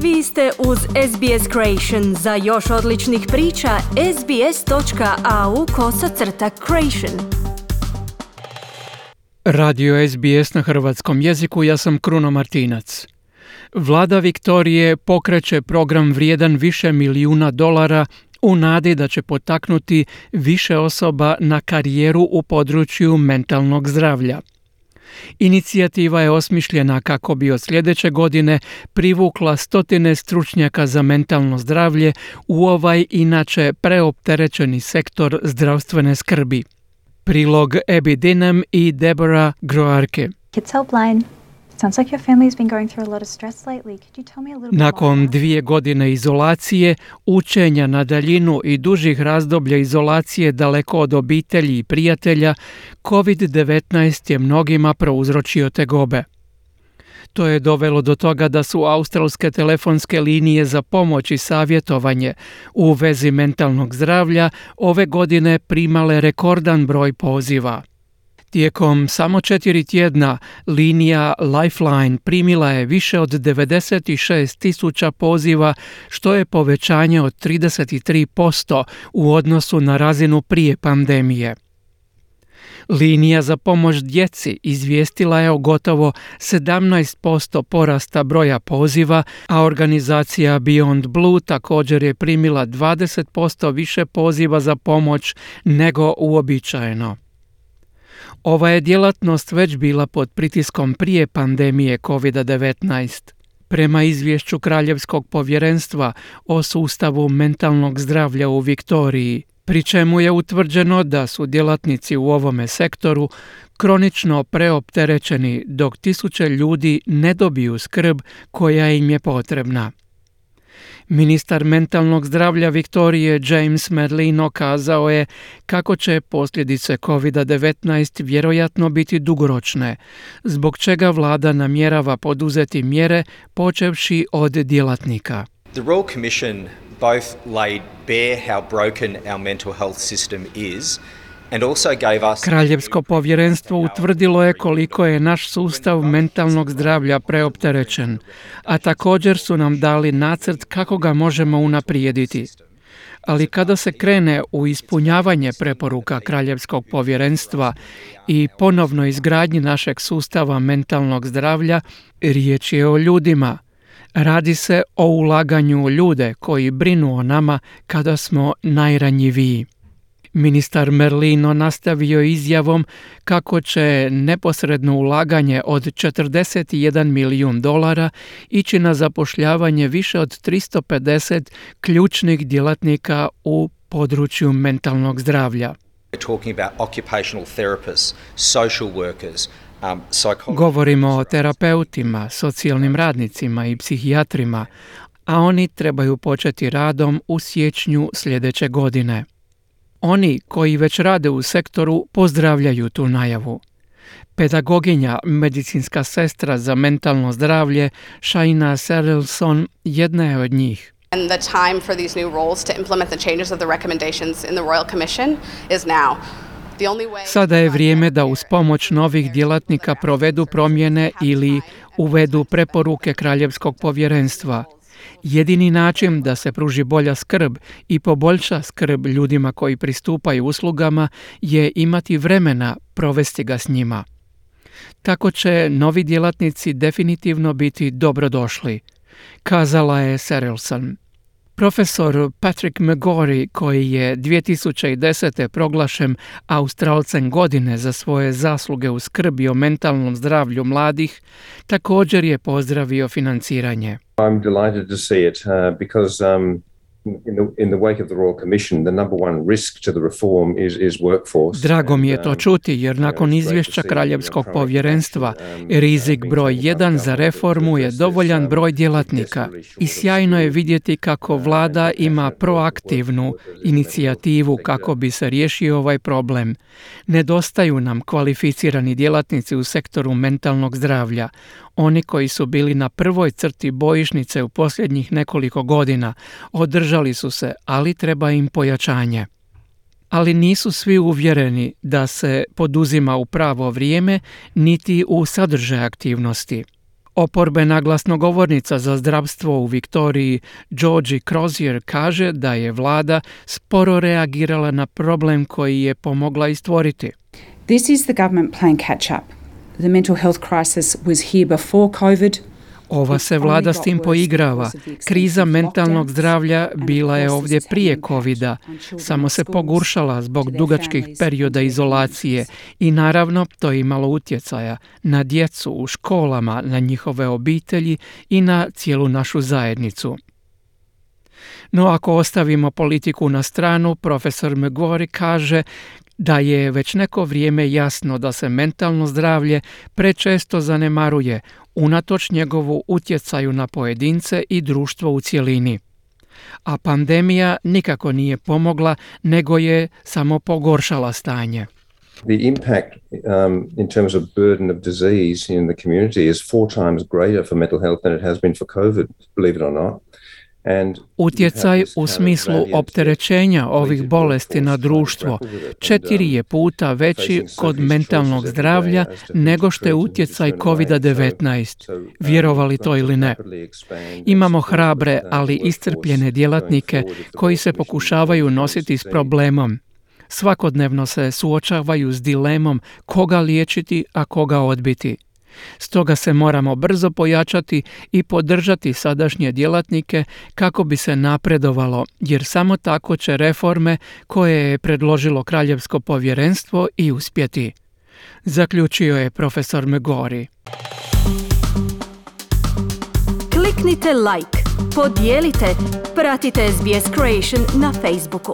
Vi ste uz SBS Creation. Za još odličnih priča, sbs.au/creation. Radio SBS na hrvatskom jeziku, ja sam Kruno Martinac. Vlada Viktorije pokreće program vrijedan više milijuna dolara u nadi da će potaknuti više osoba na karijeru u području mentalnog zdravlja. Inicijativa je osmišljena kako bi od sljedeće godine privukla stotine stručnjaka za mentalno zdravlje u ovaj inače preopterećeni sektor zdravstvene skrbi. Prilog Abby Dinham i Deborah Groarke. Kids Helpline. Sounds like your family's been going through a lot of stress lately. Could you tell me a little bit more? Nakon 2 godine izolacije, učenja na daljinu i dužih razdoblja izolacije daleko od obitelji i prijatelja, COVID-19 je mnogima prouzročio tegobe. To je dovelo do toga da su australske telefonske linije za pomoć i savjetovanje u vezi mentalnog zdravlja ove godine primale rekordan broj poziva. Tijekom samo 4 tjedna linija Lifeline primila je više od 96,000 poziva, što je povećanje od 33% u odnosu na razinu prije pandemije. Linija za pomoć djeci izvijestila je o gotovo 17% porasta broja poziva, a organizacija Beyond Blue također je primila 20% više poziva za pomoć nego uobičajeno. Ova je djelatnost već bila pod pritiskom prije pandemije COVID-19. Prema izvješću Kraljevskog povjerenstva o sustavu mentalnog zdravlja u Viktoriji, pri čemu je utvrđeno da su djelatnici u ovome sektoru kronično preopterećeni dok tisuće ljudi ne dobiju skrb koja im je potrebna. Ministar mentalnog zdravlja Viktorije James Merlino kazao je kako će posljedice COVID-19 vjerojatno biti dugoročne, zbog čega vlada namjerava poduzeti mjere počevši od djelatnika. The Royal Commission both laid bare how broken our mental health system is and also gave us... Kraljevsko povjerenstvo utvrdilo je koliko je naš sustav mentalnog zdravlja preopterećen, a također su nam dali nacrt kako ga možemo unaprijediti. Ali kada se krene u ispunjavanje preporuka Kraljevskog povjerenstva i ponovno izgradnji našeg sustava mentalnog zdravlja, riječ je o ljudima. Radi se o ulaganju u ljude koji brinu o nama kada smo najranjiviji. Ministar Merlino nastavio izjavom kako će neposredno ulaganje od 41 milijun dolara ići na zapošljavanje više od 350 ključnih djelatnika u području mentalnog zdravlja. Govorimo o terapeutima, socijalnim radnicima i psihijatrima, a oni trebaju početi radom u siječnju sljedeće godine. Oni koji već rade u sektoru pozdravljaju tu najavu. Pedagoginja, medicinska sestra za mentalno zdravlje Shaina Serelson jedna je od njih. And the time for these new roles to implement the changes of the recommendations in the Royal Commission is now. Sada je vrijeme da uz pomoć novih djelatnika provedu promjene ili uvedu preporuke Kraljevskog povjerenstva. Jedini način da se pruži bolja skrb i poboljša skrb ljudima koji pristupaju uslugama je imati vremena provesti ga s njima. Tako će novi djelatnici definitivno biti dobrodošli, kazala je Serelson. Profesor Patrick McGorry, koji je 2010. proglašen Australcem godine za svoje zasluge u skrbi o mentalnom zdravlju mladih, također je pozdravio financiranje. I'm delighted to see it because in the wake of the Royal Commission, the number one risk to the reform is workforce. Drago mi je to čuti, jer nakon izvješća Kraljevskog povjerenstva, rizik broj 1 za reformu je dovoljan broj djelatnika. I sjajno je vidjeti kako vlada ima proaktivnu inicijativu kako bi se riješio ovaj problem. Nedostaju nam kvalificirani djelatnici u sektoru mentalnog zdravlja. Oni koji su bili na prvoj crti bojišnice u posljednjih nekoliko godina održali su se, ali treba im pojačanje. Ali nisu svi uvjereni da se poduzima u pravo vrijeme niti u sadržaj aktivnosti. Oporbena glasnogovornica za zdravstvo u Viktoriji, Georgie Crozier, kaže da je vlada sporo reagirala na problem koji je pomogla stvoriti. This is the government playing catch up. The mental health crisis was here before COVID. Ova se vlada s tim poigrava. Kriza mentalnog zdravlja bila je ovdje prije covida, samo se pogoršala zbog dugačkih perioda izolacije i naravno to je imalo utjecaja na djecu u školama, na njihove obitelji i na cijelu našu zajednicu. No ako ostavimo politiku na stranu, profesor McGorry kaže da je već neko vrijeme jasno da se mentalno zdravlje prečesto zanemaruje unatoč njegovu utjecaju na pojedince i društvo u cjelini. A pandemija nikako nije pomogla, nego je samo pogoršala stanje. The impact in terms of burden of disease in the community is 4 times greater for mental health than it has been for COVID, believe it or not. Utjecaj u smislu opterećenja ovih bolesti na društvo 4 je puta veći kod mentalnog zdravlja nego što je utjecaj COVID-19, vjerovali to ili ne. Imamo hrabre, ali iscrpljene djelatnike koji se pokušavaju nositi s problemom. Svakodnevno se suočavaju s dilemom koga liječiti, a koga odbiti. Stoga se moramo brzo pojačati i podržati sadašnje djelatnike kako bi se napredovalo, jer samo tako će reforme koje je predložilo Kraljevsko povjerenstvo i uspjeti. Zaključio je profesor McGorry. Kliknite like, podijelite, pratite SBS Creation na Facebooku.